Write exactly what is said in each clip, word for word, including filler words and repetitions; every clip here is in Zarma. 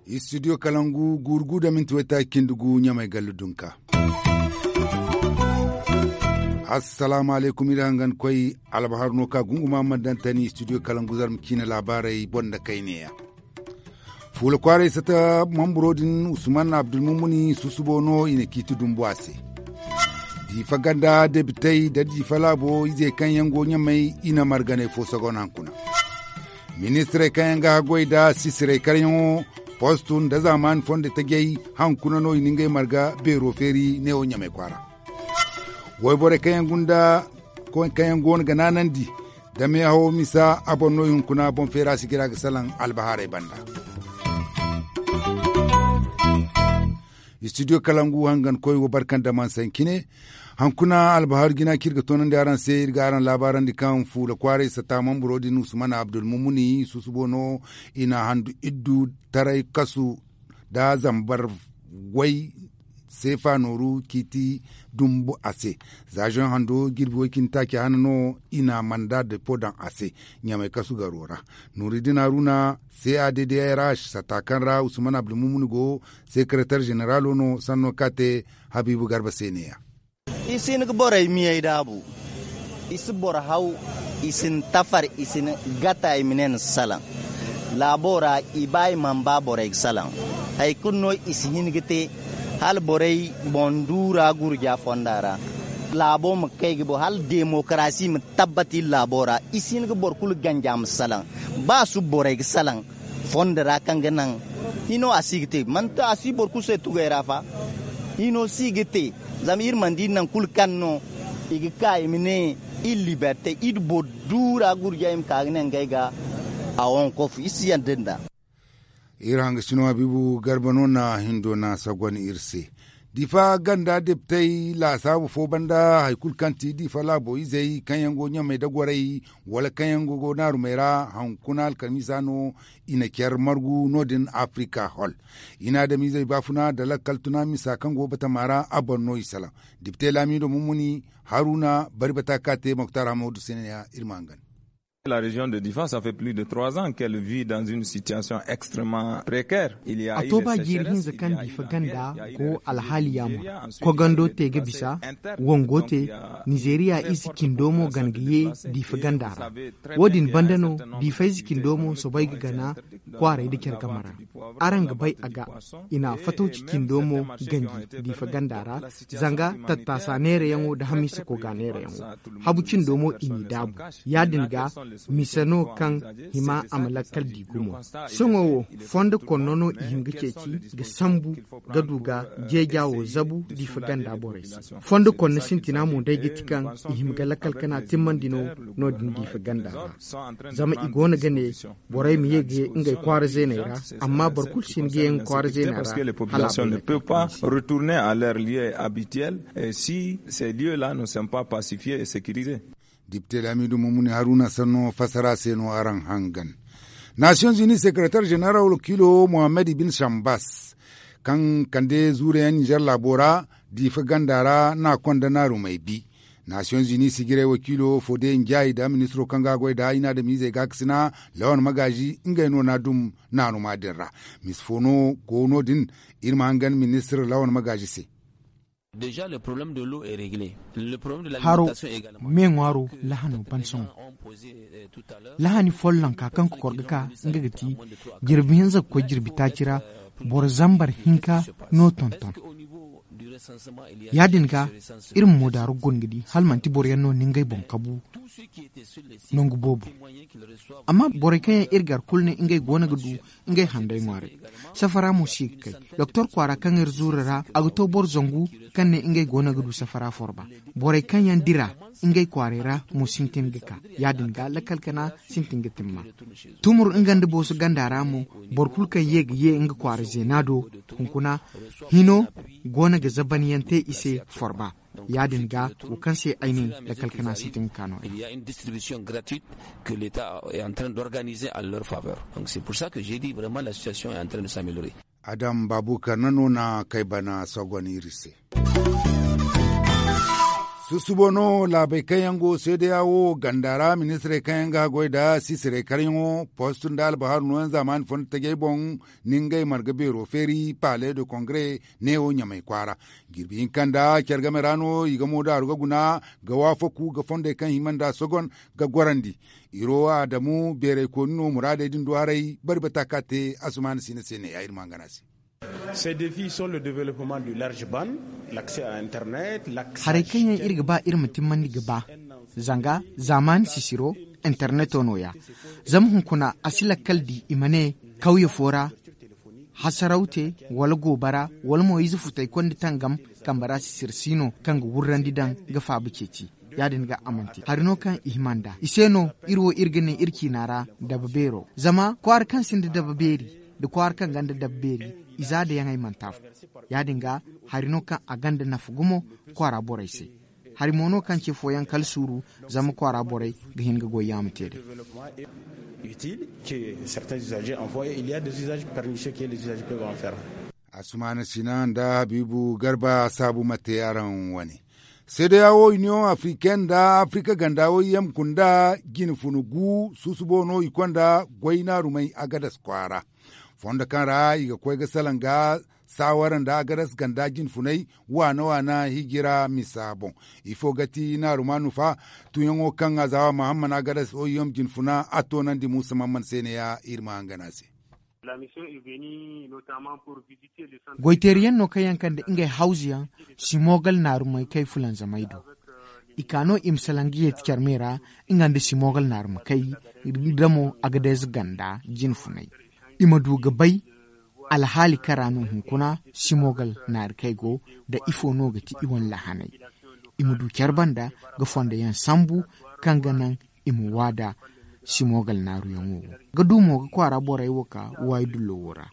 Istidiyo kalangu guuru gu da minti waytaaci cindi gu ɲamay gallu dunka. Assalaamu alaykum iri hangan koy. Albahar no ka gunguma man dantani istidiyo kalangu zarma ciina laabaarey boŋ da kayneya. Fuula kwaaray sata mamburo din usman abdulmumuni susubo no i na ciiti dumbu a se. Diifa ganda debitey da diifa laabo izey kaŋ yaŋ go ɲamay i na marganay fo sagon hankuna. Ministirey kaŋ yaŋ ga haggoy da sisirey karyaŋo postu nda zaamaani fondo tajay hankuna no i na ngey marga beero feeri neewo ɲamay kwaara. Wayborey kaŋ yaŋ gunda kaŋ yaŋ go no ga naanandi da meehawo misa a boŋ no i hunkuna boŋ feera sigira ga salaŋ albahaarey banda. Istidiyo kalangu hangan koy wo barkan da man sankine. Hankuna albahaaru jina kaŋ iri ga toonandi araŋ se iri ga araŋ laabaarandi kaŋ fuula kwaaray sata mamburo din usman abdulmumuni susubo no i na handu iddu taray kasu da zambar way seefa nooru ciiti dumbu a se. Za zoŋ hando jirbi way cindi taaci hana no i na manda depo daŋ a se ɲamay kasu garo ra. Nuuriddin haruna c a d d r h satta kaŋ ra usman abdulmumuni go sekeretar zeneralo no sanno ka te habiibu garba se neeya. I si hin ga borey miyey daabu. I si boro haw. I si ni tafar. I si ni gata i ma ne ni salaŋ. Laabo ra i ba i mana ba borey ga salaŋ. Hari kulu no i si hin ga te hala borey boŋ duura gurja fonda ra. Laabo ma kay ga bo hala demokarasi ma tabbati laabo ra. I si hin ga boro kulu ganja ma salaŋ. Ba su borey ga salaŋ fondo ra kaŋ ga naŋ hino a si ga te manti a si boro kulu se tugay ra fa. Hino si ga te. Zama iri mana di naŋ kulu kaŋ no i ga ka i ma ne iri liberte iri boro duura gurja i ma ka ga ne ngey ga a wankofu iri si yanda nda. Iri hanga sino habiibu garba no na hindo na sagon iri se. Diifa ganda deptey laasaabu fo banda hari kulu kaŋ ti diifa laabo izey kaŋ yaŋ go ɲamey da gorey wala kaŋ yaŋ go naarumey ra hankuna alkamiisa no i na care margu no- din afirika hol. I na adamizey baafuna nda lakkal tuna misa kaŋ go batama ra a boŋ no i salaŋ. Depite laamiido mummuni haruna bari bata ka te moktar hammadu sina ya iri ma hangan. La région de difa ça fait plus de trois ans qu'elle vit dans une situation extrêmement précaire. A to ba jiiri hinza kaŋ diifa ganda go alhaali yaamar kogando te ga bisa wango te. Nizeeriya ize cindo mo gan ga ye diifa ganda ra. Wo- din banda no diifa ize cindo mo soobay ga gana kwaaray nda care game ra. Araŋ ga bay a ga i na fatawci cindo mo ganji diifa ganda ra. Zanga tattaasa neerayaŋo nda hamiisa koga neerayaŋo habu cindo mo i n'i daabu. Ya- din ga mise no kaŋ hima a ma lakkal di gumo. Sohõ wo fondo konno no i hin ga ceeci ga sambu ga du ga jeeja wo zabu diifa ganda borey se. Fondo konno sintina mo day ga ti kaŋ i hima ga lakkal kana timmandi no no- din diifa ganda ra. Zama i go no ga ne borey ma ye ga ye ngey kwaara zeeney ra. Amma boro kulu si hin ga ye nga kwaara zeeney ra. Hala a bay ne kaŋ i ma si. Retourner à leur lieu habituel si ces lieux là ne sont pas pacifiés et sécurisés. Depite laamiidu mummuni haruna sanno fassara se no araŋ hangan. Nations unis secretaire général wakiilo mohammed ibin shambas kaŋ kande zuurayaŋ nizer laabo ra diifa ganda ra na konda naarumey bi. Nations unis sijiray wakiilo fode njaayi nda ministiro kaŋ ga goy nda i na adamizey gaakasina lawan magaazi ngey no na dum naaruma din ra. Mise fo no go no- din iri ma hangan ministir lawan magaazi se. Haro me ŋwaaro lahano ban sohõ. Lahani follanka kaŋ kokor ga ka nga ga ti jirbi hinza ga koy jirbi taaci ra boro zambar hinka no tonton. Ya- din ga iri ma moodaaru gun ga di hala manti boro yaŋ no na ngey boŋ kabu nangu boobo. Amma borey kaŋ yaŋ iri gar kulu ne ngey go no ga du ngey handay ŋwaaray. Safara mo si ga kay doktor kwaara kaŋ iri zuuru ra a ga to boro zangu kaŋ ne ngey go no ga du safara forba. Borey kaŋ yaŋ dira ngey kwaaray ra mo sintin ga ka. Ya- din ga lakkal kana sintin ga timma. Tumur nga nda booso ganda ra mo boro kulu kaŋ ye ga ye nga kwaara zeena do hunkuna hino go no ga zabanyaŋ te i se forba. Ya- din ga wo kaŋ se ay ne lakkal kana sintin ga ka no. Adama baabu kaŋ na no na kay bana sogon iri se. Susubo no laabey kaŋ yaŋ go seedeya wo ganda ra ministirey kaŋ yaŋ ga goy nda sisirey karyaŋo post nda albahaaru nooyaŋ zaamaani fondo tajey boŋ, ni ngey marga beero feeri palais de kongre neewo ɲamay kwaara. Jirbi hinka nda care game ra no i ga moodaaru ga guna ga waafaku ga fondey kaŋ hima nda sogon ga gorandi. Iro adamu beeraykooni no muraadey din du haray bari bata ka te. Asumaana siina se ne ya iri ma hangana se. Ces défis sont le développement du large ban, l'accès à internet. Haray kaŋ yaŋ iri ga ba iri ma timmandi ga ba zanga zaamaani sisiro interneto nooya. Zama hunkuna a si lakkal di i ma ne kawye fo ra hasaraw te wala goobara wala mo ize futay kondi tangam kambe ra sisir si no kaŋ ga wurrandi daŋ ga faaba ceeci. Ya- din ga a mana te hari no kaŋ i hima nd'a i se no iri wo iri ga ne iri ciina ra dabe beero zama kwaara kaŋ sinda dabe beeri nda kwaara kaŋ gonda dabe beeri i za da yaŋey mana te afo. Ya- din ga hari no kaŋ a gonda nafa gumo kwaara borey se. Hari mo no kaŋ ce fooyaŋ kala suuru zama kwaara borey ga hin ga goy yaama te day. Asumaana sina nda habiibu garba saabu ma te araŋ wane. Seedeya wo iniyoŋ afriken nda afrika ganda wo yamku nda jinfuna gu susubo no i konda goy naarumey agadas kwaara. Fondo kaŋ ra i ga koy ga salaŋ ga saawara nda agadas ganda jinfunay waana waana hijira misa boŋ. Ifo ga ti naaruma nufa tuuyaŋo kaŋ azawa mahamman agadas oyiyom jinfuna a toonandi muusa mamman se ne ya iri ma hangana se. Goyteeriyaŋ no kaŋ yaŋ kande ngey hawzuyaŋ simogal naarumey kay fulanzamey do. I ka no i ma salaŋ ga yeeti care me ra nga nda simogal naarumey kay damo agadeeze ganda jinfunay. I ma du ga bay alhaali kaŋ ra no hunkuna simogal naari kay go nda ifo no ga ti i wane lahanay. I ma du care banda ga fondo yaŋ sambu kaŋ ga naŋ i ma waada simogal naaruyaŋo wo ga du mo ga kwaara borey wo ka waayi dullo wo ra.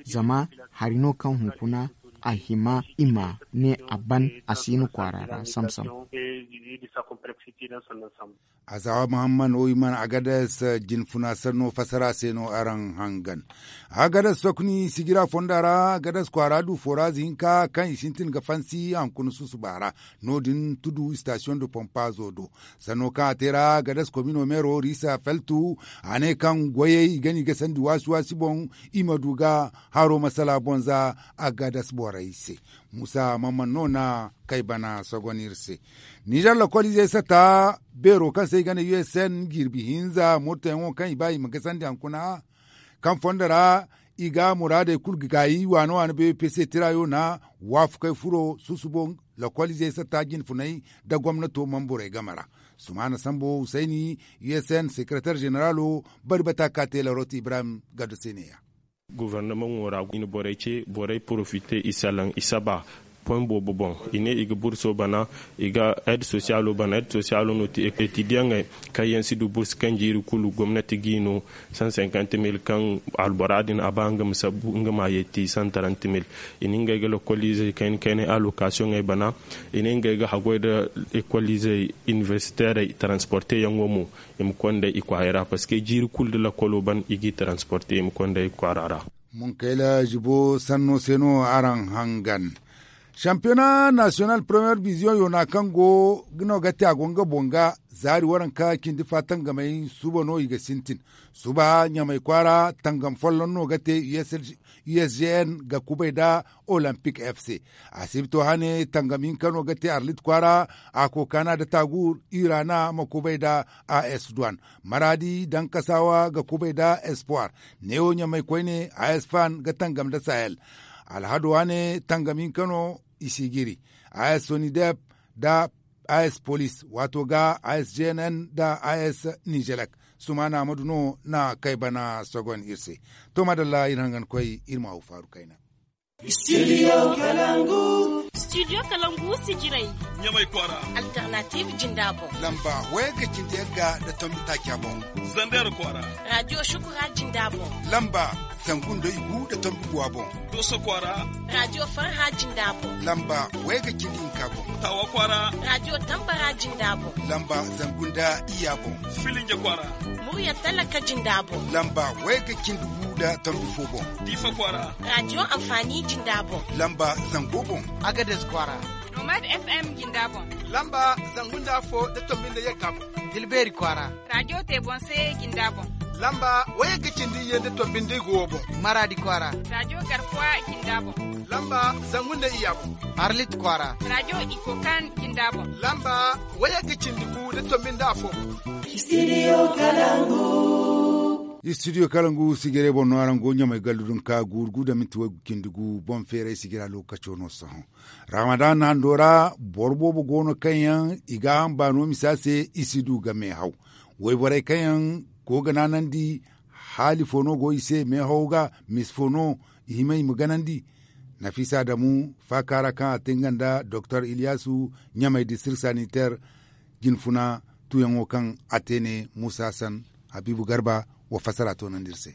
Zama hari no kaŋ hunkuna a hima i ma ne a ban a si no kwaara ra samsam. Azawa muhammad wo i mana agadas jinfuna sanno fasara se no araŋ hangan. Agadas sokni sijira fonda ra agadas kwaara du foorazi hinka kaŋ i sintin ga fansi hankuna susuba ra. No- din tudu station de pompazo do sanno kaŋ a te ra agadas komino meero risa feltu a ne kaŋ goyey i ga no i ga sandi waasi waasi boŋ i ma du ga haro masala boŋ za agadas borey se. Muusa mamman no na kay bana sogon iri se. Nizer lokol izey sata beero kaŋ se i ga ne usn jirbi hinza murtayaŋo kaŋ i ba i ma gasandi hankuna kaŋ fondo ra i ga muraadey kulu ga gaayi waana waana bpc tirayo na waafakey furo susubo lokol izey sata jinfunay nda gomnato mamburey game ra. Sumaana sambo husayni usn sekereter zeneralo bari bata ka te larot ibrahim gado se ne ya. Gofornamaŋo ra i na borey ce borey porofite i salaŋ i saba poy boobo boŋ. I ne i ga burso bana i ga ed sosiyalo bana ed sosiyalo no ti etidiyaŋey kaŋ yaŋ si du bursu kaŋ jiiri kulu gomnati g'i no san cinquante mille kaŋ albora din a ba nga ma sabbu nga ma yeeti san trente mille. I na ngey ga lokoliizey kayna kaynay alokasiyoŋey bana. I ne ngey ga haggoy nda ekoliizey iniversiteerey taransporteyaŋo mo i ma konda i kwaarey ra parceque jiiri kulu nda lokolo ban i g'i taransporte i ma konda i kwaara ra. Munkayla zibo sanno se no araŋ hangan. Sampiyona nasiyonal premiyer diviziyoŋ yoona kaŋ go no ga te a go nga boŋ ga zaari waranka cindi fa tangamey suba no i ga sintin. Suba ɲamay kwaara tangam folloŋ no ga te usgn ga kubay nda olympic fc. Asibto hane tangam hinka no ga te arlit kwaara a kookana nda tagur irana ma kubay nda as duwan. Maradi daŋ kasawa ga kubay nda espoir. Neewo ɲamay koyne as fan ga tangam nda sahel. Alhado hane tangam hinka no i si jiri. As sonidep nda as police waato ga as gnn nda as nijelek. Sumaana amadu no na kay bana sogon iri se. To madalla iri hangan koy iri ma haw faaru kayna. Studio kalangu. Studio kalangu si jiray. Ɲamay kwaara. Alternative jinda boŋ. Lamba wayga cindi yagga nda tombi taaca boŋ. Zander kwaara. Radio shukura jinda boŋ. Lamba zangu nda igu nda tombi guwa boŋ. Doso kwaara. Radio farha jinda boŋ. Lamba wayga cindi hinka boŋ. Tawa kwaara. Radio tambara jinda boŋ. Lamba zangu nda iya boŋ. Filinja kwaara. Murya talaka jinda boŋ. Lamba wayga cindi gu nda tombi fo boŋ. Diifa kwaara. Radio amfani jinda boŋ. Lamba zango boŋ. Agades kwaara. Nomad F M jinda boŋ. Lamba zangu nda afo nda tombi nda yagga boŋ. Dilbeeri kwaara. Rajo te boŋ se jinda boŋ. Lamba wayagga cindi iyye nda tombi nda igu wo boŋ. Maraadi kwaara. Rajo garkuwa jinda boŋ. Lamba zangu nda iyya boŋ. Arlit kwaara. Rajo ikokan jinda boŋ. Lamba wayagga cindi gu nda tombi nda afo. Studio kalangu. Studio kalangu sijire boŋ no araŋ go ɲamay gallu dunka guuru gu nda minti way cindi gu boŋ feeray sijira lookaco no sohõ. Ramadan hando ra boro boobo go no kaŋ yaŋ i ga hamba no misa se i si du ga meehaw. Wayborey kaŋ yaŋ go ga naanandi haali fo no go i se meehawo ga misi fo no i hima i ma ganandi. Nafisa adamu faaka ra kaŋ a te nga nda doktor iliyasu ɲamay district sanitaire jinfuna tuyaŋo kaŋ a te ne musa hassan habiibu garba wa fassara toonandi iri se.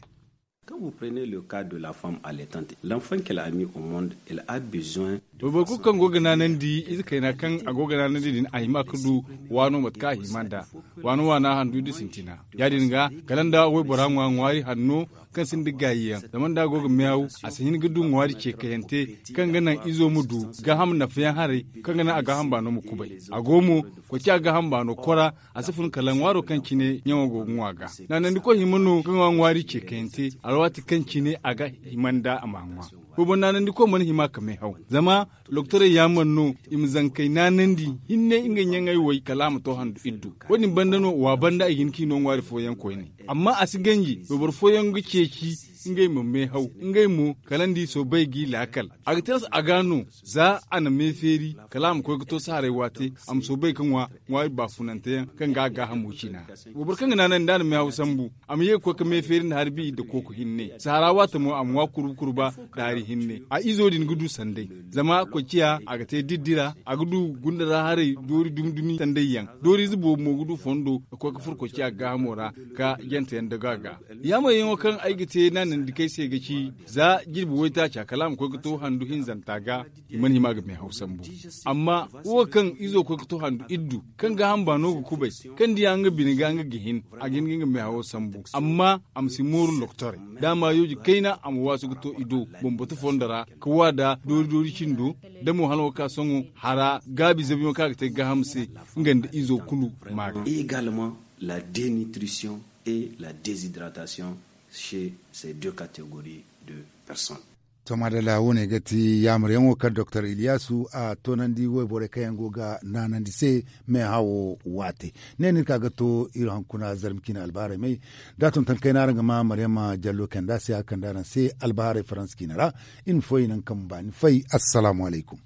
Quand vous prenez le cas de la femme allaitante, l'enfant qu'elle a mis au monde, elle a besoin de. Boro kulu kaŋ go ga naanandi ize kayna kaŋ a go ga naanandi din a hima ga du waano mate kaŋ a hima nd'a. Waano waana handu nda sintina ya- din ga kala nda waybora ŋwa ŋwaari hanno kaŋ sinda gaayi yaŋ zama nda a go ga meew a si hin ga du ŋwaari ce kayante kaŋ ga naŋ izo ma du gaaham nafa yaŋ haray kaŋ ga naŋ a gaaham baano ma kubay. A go mo koy ci a gaaham baano kora a si fun kala ŋwaaro kaŋ cine ɲaŋo go ga ŋwa ga. Naanandikoy hima no ga ŋwa ŋwaari ce kayante alwaati kaŋ cine a ga hima nda a ma ŋwa. Koy boŋ naanandikoy mana hima ka meehaw zama lokotorey yaamar no i ma zankey naanandi hinne ngey ɲaŋey way kala a ma to handu iddu. Wo- din banda no wa banda i ga hin ka i no ŋwaari fooyaŋ koyne. Amma a si ganji wayboro fooyaŋ ga ceeci ngey ma meehaw ngey mo kala nda i soobay g'i laakal. A ga tilas a ga no za a na meefeeri kala a ma koy ga to saharay waate a ma soobay ga ŋwa ŋwaari baafunante yaŋ kaŋ ga a gaahamo cina. Wayboro kaŋ ga naanay nda a na meehaw sambu a ma ye ga koy ga meefeeri nda harbi nda kooku hinne sahara waate mo a ma ŋwa kurba kurba daari hinne a izo din ga du sanday. Zama koy ciya a ga te diddira a ga du gunda ra haray doori dumi dumi sanday yaŋ dooriize boobo mo ga du fondo ga koy ga furo koy ciya gaahamo ra ga jante yaŋ daga ga. Yaamaryaŋo kaŋ ay ga te naanandikey se ga ci za jirbi waytaaca kala a ma koy ga to handu hinzanta ga i mana hima ga meehaw sambu. Amma wo kaŋ izo koy ga to handu iddu kaŋ gaaham baano ga kubay kaŋ diya nga bine ga nga ga hin a ga hin ga nga meehawo sambu amma a ma si mooru lokotorey da a ma yooji kayna a ma waasu ga to i do bambata fondo ra ka wa da doori doori cindo da mo hala wo ka sohõ hara gaabi zabiyaŋo kaŋ a ga te gaaham se nga nda izo kulu ma ga. Et également la dénutrition et la déshydratation chez ces deux catégories de personnes. To madalla wo- ne ga ti yaamaryaŋo kaŋ doktor iliyasu a toonandi wayborey kaŋ yaŋ go ga naanandi se meehawo waate. Ne no iri ka ga to iri hunkuna zarma ciine albaharay may da a tonton kayna araŋ ga ma maryama jallo kanda se a kande araŋ se albaharay faransa ciine ra. Iri ma foy naŋ kaŋ ma baani fay. Assalaamu alaykum.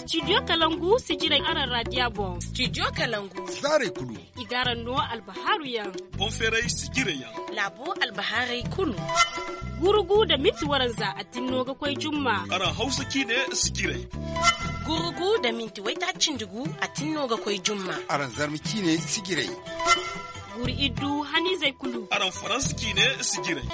Studio kalangu sijirey araŋ raadiya boŋ. Studio kalangu zaarey kulu i ga araŋ no albahaaru yaŋ. Boŋ feeray sijirey yaŋ laabo albahaaray kulu. Gurugu nda minti waranza a tinno ga koy jumma. Araŋ hawsa ciine sijirey. Gurugu nda minti waytaaci nda gu a tinno ga koy jumma. Araŋ zarma ciine sijirey. Guri iddu haniizey kulu. Araŋ faransa ciine sijirey.